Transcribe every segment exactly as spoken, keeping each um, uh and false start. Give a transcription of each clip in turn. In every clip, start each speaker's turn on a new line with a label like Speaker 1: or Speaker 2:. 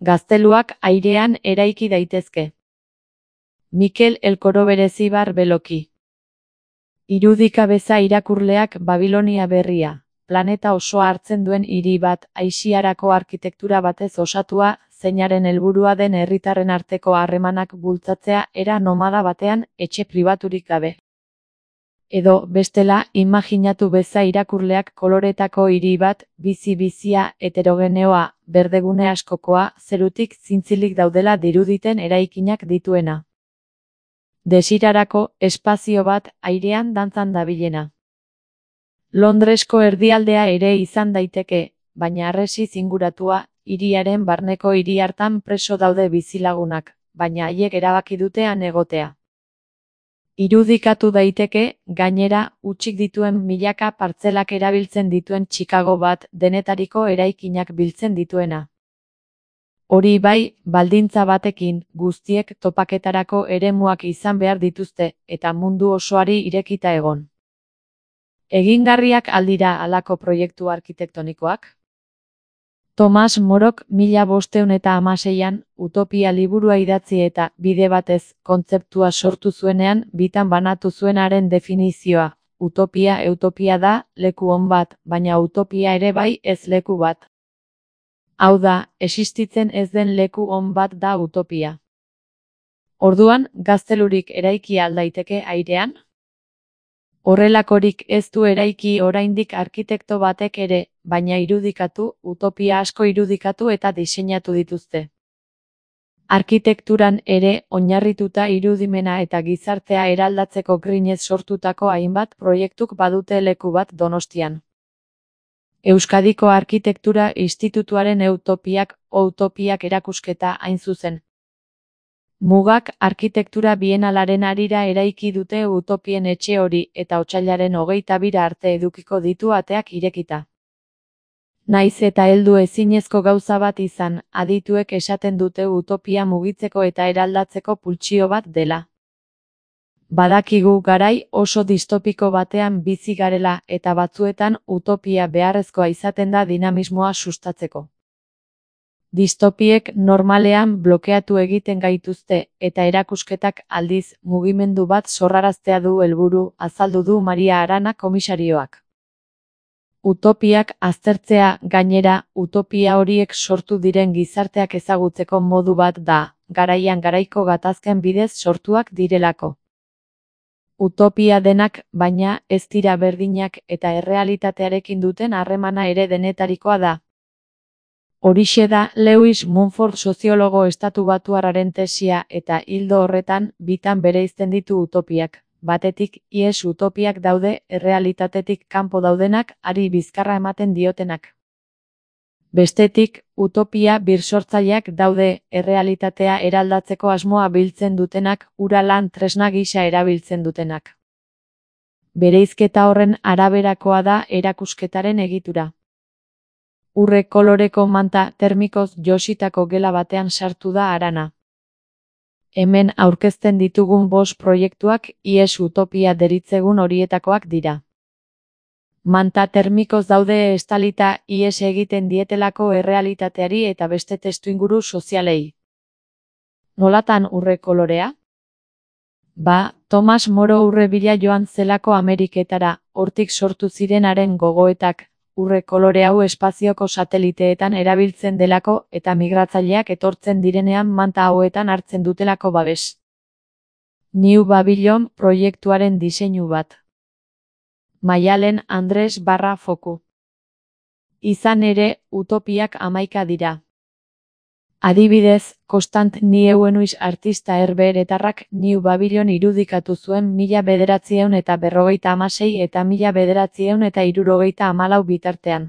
Speaker 1: Gazteluak airean eraiki daitezke. Mikel Elkoroberezibar Beloki. Irudika beza irakurleak Babilonia berria, planeta osoa hartzen duen hiri bat, Aisiarako arkitektura batez osatua, zeinaren helburua den herritarren arteko harremanak bultzatzea era nomada batean, etxe pribaturik gabe. Edo, bestela, imaginatu beza irakurleak koloretako hiri bat, bizi-bizia, heterogeneoa, berdegune askokoa, zerutik zintzilik daudela diruditen eraikinak dituena. Desirarako, espazio bat, airean dantzan dabilena. Londresko erdialdea ere izan daiteke, baina harresiz inguratua, hiriaren barneko hiri hartan preso daude bizilagunak, baina haiek erabaki dute han egotea. Irudikatu daiteke, gainera, hutsik dituen milaka partzelak erabiltzen dituen Chicago bat, denetariko eraikinak biltzen dituena. Hori bai, baldintza batekin, guztiek topaketarako eremuak izan behar dituzte, eta mundu osoari irekita egon. Egingarriak aldira halako proiektu arkitektonikoak? Tomas Morok mila bostehun eta hamaseian, Utopia liburua idatzi eta, bide batez, kontzeptua sortu zuenean, bitan banatu zuenaren definizioa. Utopia eutopia da, leku on bat, baina utopia ere bai ez leku bat. Hau da, existitzen ez den leku on bat da utopia. Orduan, gaztelurik eraiki al daiteke airean? Horrelakorik ez du eraiki oraindik arkitekto batek ere, baina irudikatu, utopia asko irudikatu eta diseinatu dituzte. Arkitekturan ere, oinarrituta irudimena eta gizartea eraldatzeko grinez sortutako hainbat proiektuk badute leku bat Donostian. Euskadiko Arkitektura Institutuaren Eutopiak, Utopiak erakusketa hain zuzen. Mugak arkitektura bienalaren harira eraiki dute utopien etxe hori eta otsailaren hogeita bira arte edukiko ditu ateak irekita. Naiz eta heldu ezinezko gauza bat izan, adituek esaten dute utopia mugitzeko eta eraldatzeko pultsio bat dela. Badakigu garai oso distopiko batean bizi garela eta batzuetan utopia beharrezkoa izaten da dinamismoa sustatzeko. Distopiek normalean blokeatu egiten gaituzte, eta erakusketak aldiz mugimendu bat sorraraztea du helburu, azaldu du Maria Arana komisarioak. Utopiak aztertzea, gainera, utopia horiek sortu diren gizarteak ezagutzeko modu bat da, garaian garaiko gatazken bidez sortuak direlako. Utopia denak, baina, ez dira berdinak eta errealitatearekin duten harremana ere denetarikoa da. Horixe da Lewis Mumford soziologo estatubatuarraren tesia eta hildo horretan bitan bereizten ditu utopiak. Batetik, ihes utopiak daude, errealitatetik kanpo daudenak, ari bizkarra ematen diotenak. Bestetik, utopia birsortzaileak daude, errealitatea eraldatzeko asmoa biltzen dutenak, hura lan tresna gisa erabiltzen dutenak. Bereizketa horren araberakoa da erakusketaren egitura. Urre koloreko manta termikoz jositako gela batean sartu da Arana. Hemen aurkezten ditugun bost proiektuak ihes utopia deritzegun horietakoak dira. Manta termikoz daude estalita ihes egiten dietelako errealitateari eta beste testuinguru sozialei. Nolatan urre kolorea? Ba, Tomas Moro urre bila joan zelako Ameriketara, hortik sortu zirenaren gogoetak, urre kolore hau espazioko sateliteetan erabiltzen delako eta migratzaileak etortzen direnean manta hauetan hartzen dutelako babes. New Babylon proiektuaren diseinu bat. Maialen Andres barra foku. Izan ere, utopiak hamaika dira. Adibidez, Kostant Nieuenuis artista herbeheretarrak New Babylon irudikatu zuen mila bederatziehun eta berrogeita hamasei eta mila bederatziehun eta hirurogeita hamalau bitartean.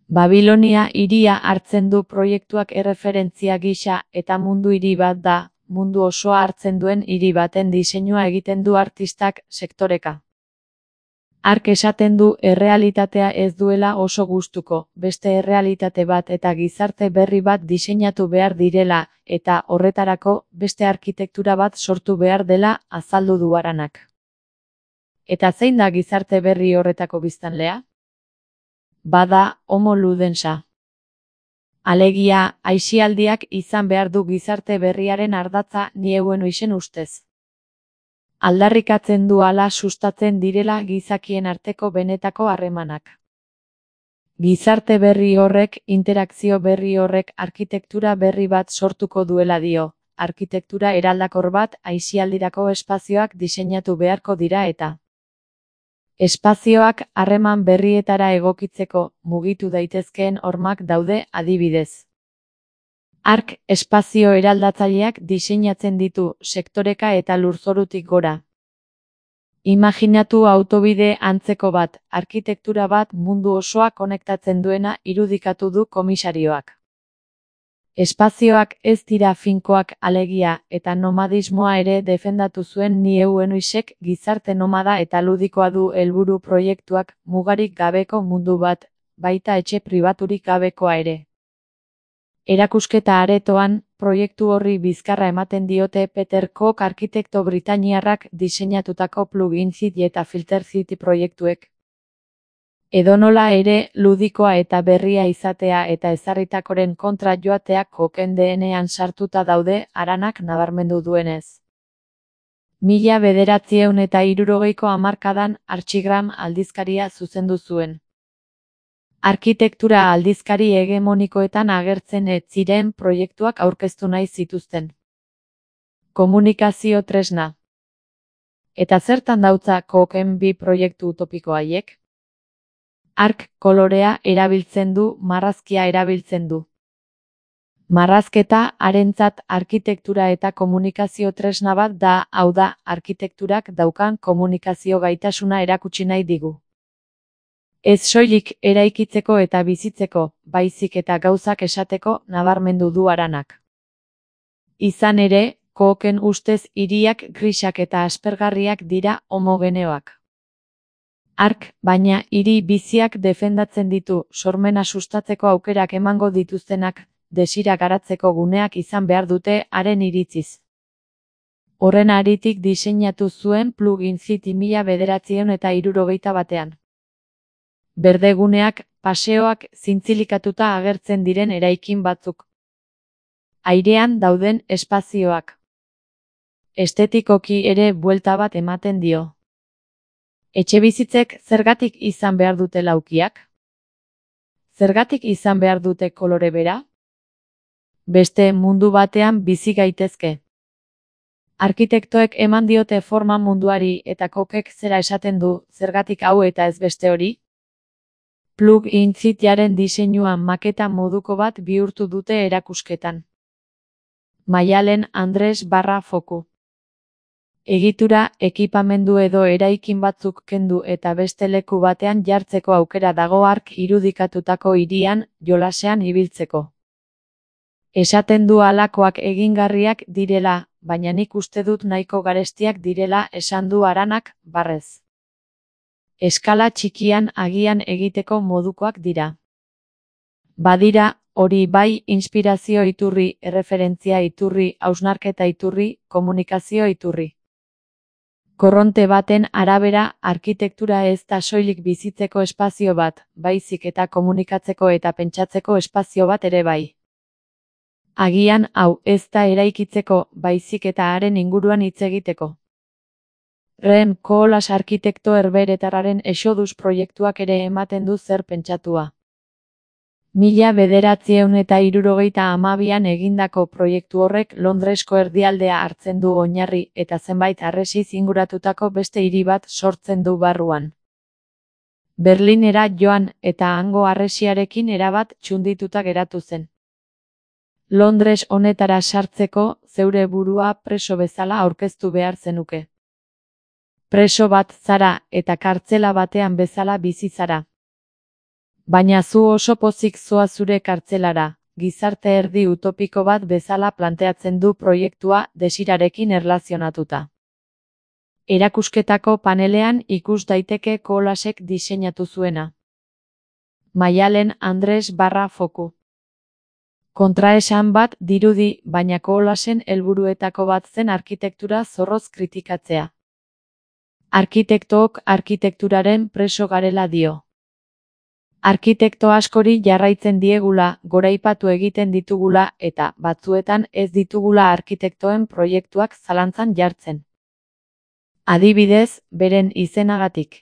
Speaker 1: Babilonia hiria hartzen du proiektuak erreferentzia gisa eta mundu hiri bat da, mundu osoa hartzen duen hiri baten diseinua egiten du artistak sektoreka. Hark esaten du errealitatea ez duela oso gustuko, beste errealitate bat eta gizarte berri bat diseinatu behar direla, eta horretarako beste arkitektura bat sortu behar dela azaldu du Aranak. Eta zein da gizarte berri horretako biztanlea? Bada, Homo ludensa. Alegia, aisialdiak izan behar du gizarte berriaren ardatza nieuen oizen ustez. Aldarrikatzen du hala sustatzen direla gizakien arteko benetako harremanak. Gizarte berri horrek, interakzio berri horrek arkitektura berri bat sortuko duela dio, arkitektura eraldakor bat aisialdirako espazioak diseinatu beharko dira eta espazioak harreman berrietara egokitzeko mugitu daitezkeen hormak daude adibidez. Hark espazio eraldatzaileak diseinatzen ditu sektoreka eta lurzorutik gora. Imaginatu autobide antzeko bat, arkitektura bat mundu osoa konektatzen duena irudikatu du komisarioak. Espazioak ez dira finkoak alegia eta nomadismoa ere defendatu zuen nieuen oisek gizarte nomada eta ludikoa du helburu proiektuak mugarik gabeko mundu bat, baita etxe pribaturik gabekoa ere. Erakusketa aretoan, proiektu horri bizkarra ematen diote Peter Cook arkitekto britainiarrak diseinatutako Plug-in City eta Filter City proiektuek. Edonola ere, ludikoa eta berria izatea eta ezarritakoren kontra joateak Cooken D N A-an sartuta daude haranak nabarmendu duenez. Mila bederatziehun eta hirurogeiko hamarkadan Archigram aldizkaria zuzendu zuen. Arkitektura aldizkari hegemonikoetan agertzen ez ziren proiektuak aurkeztu nahi zituzten. Komunikazio tresna. Eta zertan dautza Cooken bi proiektu utopiko haiek? Hark kolorea erabiltzen du, marrazkia erabiltzen du. Marrazketa harentzat arkitektura eta komunikazio tresna bat da, hau da, arkitekturak daukan komunikazio gaitasuna erakutsi nahi digu. Ez soilik eraikitzeko eta bizitzeko, baizik eta gauzak esateko nabarmendu du haranak. Izan ere, Cooken ustez hiriak grisak eta aspergarriak dira homogeneoak. Hark, baina, hiri biziak defendatzen ditu, sormena sustatzeko aukerak emango dituztenak, desira garatzeko guneak izan behar dute haren iritziz. Horren haritik diseinatu zuen Plug-in City mila bederatziehun eta hirurogeita batean. Berdeguneak, paseoak, zintzilikatuta agertzen diren eraikin batzuk. Airean dauden espazioak. Estetikoki ere buelta bat ematen dio. Etxebizitzek zergatik izan behar dute laukiak? Zergatik izan behar dute kolore bera? Beste mundu batean bizi gaitezke. Arkitektoek eman diote forma munduari eta Cookek zera esaten du, zergatik hau eta ez beste hori? Plug-in Cityaren diseinuan maketa moduko bat bihurtu dute erakusketan. Maialen Andres barra foku. Egitura, ekipamendu edo eraikin batzuk kendu eta beste leku batean jartzeko aukera dago hark irudikatutako hirian, jolasean ibiltzeko. Esaten du halakoak egingarriak direla, baina nik uste dut nahiko garestiak direla esan du haranak, barrez. Eskala txikian agian egiteko modukoak dira. Badira, hori bai, inspirazio iturri, erreferentzia iturri, hausnarketa iturri, komunikazio iturri. Korronte baten arabera, arkitektura ez da soilik bizitzeko espazio bat, baizik eta komunikatzeko eta pentsatzeko espazio bat ere bai. Agian hau ez da eraikitzeko, baizik eta haren inguruan hitz egiteko. Rem Koolhaas arkitekto herbeheretarraren Exodus proiektuak ere ematen du zer pentsatua. Mila bederatziehun eta hirurogeita hamabian egindako proiektu horrek Londresko erdialdea hartzen du oinarri eta zenbait harresiz inguratutako beste hiri bat sortzen du barruan. Berlinera joan eta hango harresiarekin erabat txundituta geratu zen. Londres honetara sartzeko zeure burua preso bezala aurkeztu behar zenuke. Preso bat zara eta kartzela batean bezala bizi zara. Baina zu oso pozik zoa zure kartzelara, gizarte erdi utopiko bat bezala planteatzen du proiektua desirarekin erlazionatuta. Erakusketako panelean ikus daiteke Koolhaasek diseinatu zuena. Maialen Andres barra foku. Kontraesan bat dirudi, baina Koolhaasen helburuetako bat zen arkitektura zorroz kritikatzea. Arkitektook arkitekturaren preso garela dio. Arkitekto askori jarraitzen diegula, goraipatu egiten ditugula eta batzuetan ez ditugula arkitektoen proiektuak zalantzan jartzen. Adibidez, beren izenagatik.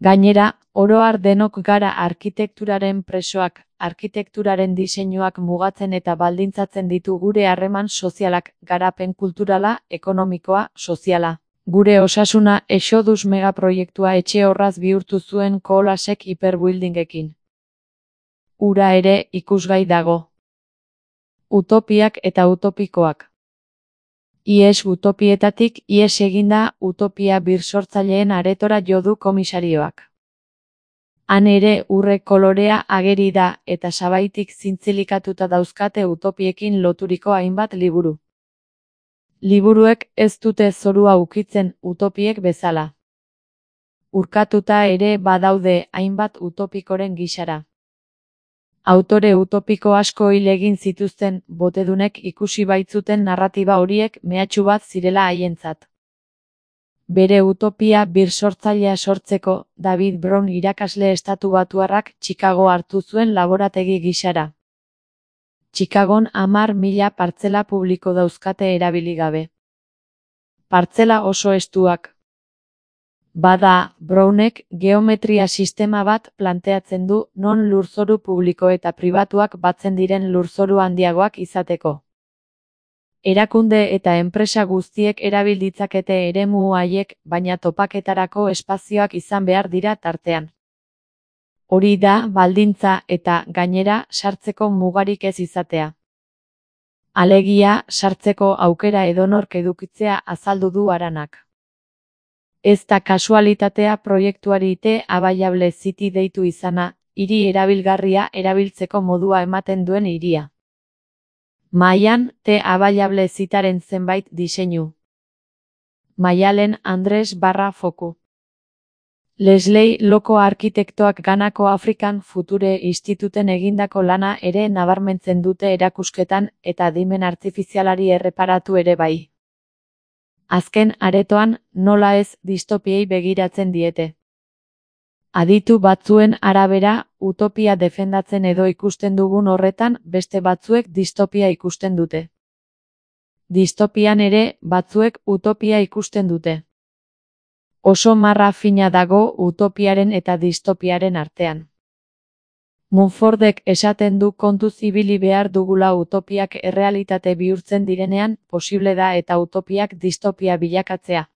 Speaker 1: Gainera, oro har denok gara arkitekturaren presoak, arkitekturaren diseinuak mugatzen eta baldintzatzen ditu gure harreman sozialak, garapen kulturala, ekonomikoa, soziala. Gure osasuna Exodus megaproiektua etxe horraz bihurtu zuen Colasek hiperbuildingekin. Ura ere ikusgai dago. Utopiak eta utopikoak. Ihes utopietatik ihes eginda utopia birsortzaileen aretora jo du komisarioak. Han ere urre kolorea ageri da eta sabaitik zintzilikatuta dauzkate utopiekin loturiko hainbat liburu. Liburuek ez dute zorua ukitzen utopiek bezala. Urkatuta ere badaude hainbat utopikoren gisara. Autore utopiko asko hil egin zituzten botedunek ikusi baitzuten narratiba horiek mehatxu bat zirela haientzat. Bere utopia birsortzailea sortzeko, David Brown irakasle estatubatuarrak Chicago hartu zuen laborategi gisara. Chicagon hamar mila partzela publiko dauzkate erabili gabe. Partzela oso estuak. Bada, Brownek geometria sistema bat planteatzen du non lurzoru publiko eta pribatuak batzen diren lurzoru handiagoak izateko. Erakunde eta enpresa guztiek erabil ditzakete eremu haiek, baina topaketarako espazioak izan behar dira tartean. Hori da baldintza eta, gainera, sartzeko mugarik ez izatea. Alegia, sartzeko aukera edonork edukitzea azaldu du Aranak. Ez da kasualitatea proiektuari T Available City deitu izana, hiri erabilgarria erabiltzeko modua ematen duen hiria. Mahaian, T Available Cityaren zenbait diseinu. Maialen Andres barra foku. Leslie Loko arkitektoak Ganako African Future Instituten egindako lana ere nabarmentzen dute erakusketan eta adimen artifizialari erreparatu ere bai. Azken aretoan, nola ez distopiei begiratzen diete. Aditu batzuen arabera, utopia defendatzen edo ikusten dugun horretan, beste batzuek distopia ikusten dute. Distopian ere, batzuek utopia ikusten dute. Oso marra fina dago utopiaren eta distopiaren artean. Monfordek esaten du kontuz ibili behar dugula utopiak errealitate bihurtzen direnean, posible da eta utopiak distopia bilakatzea.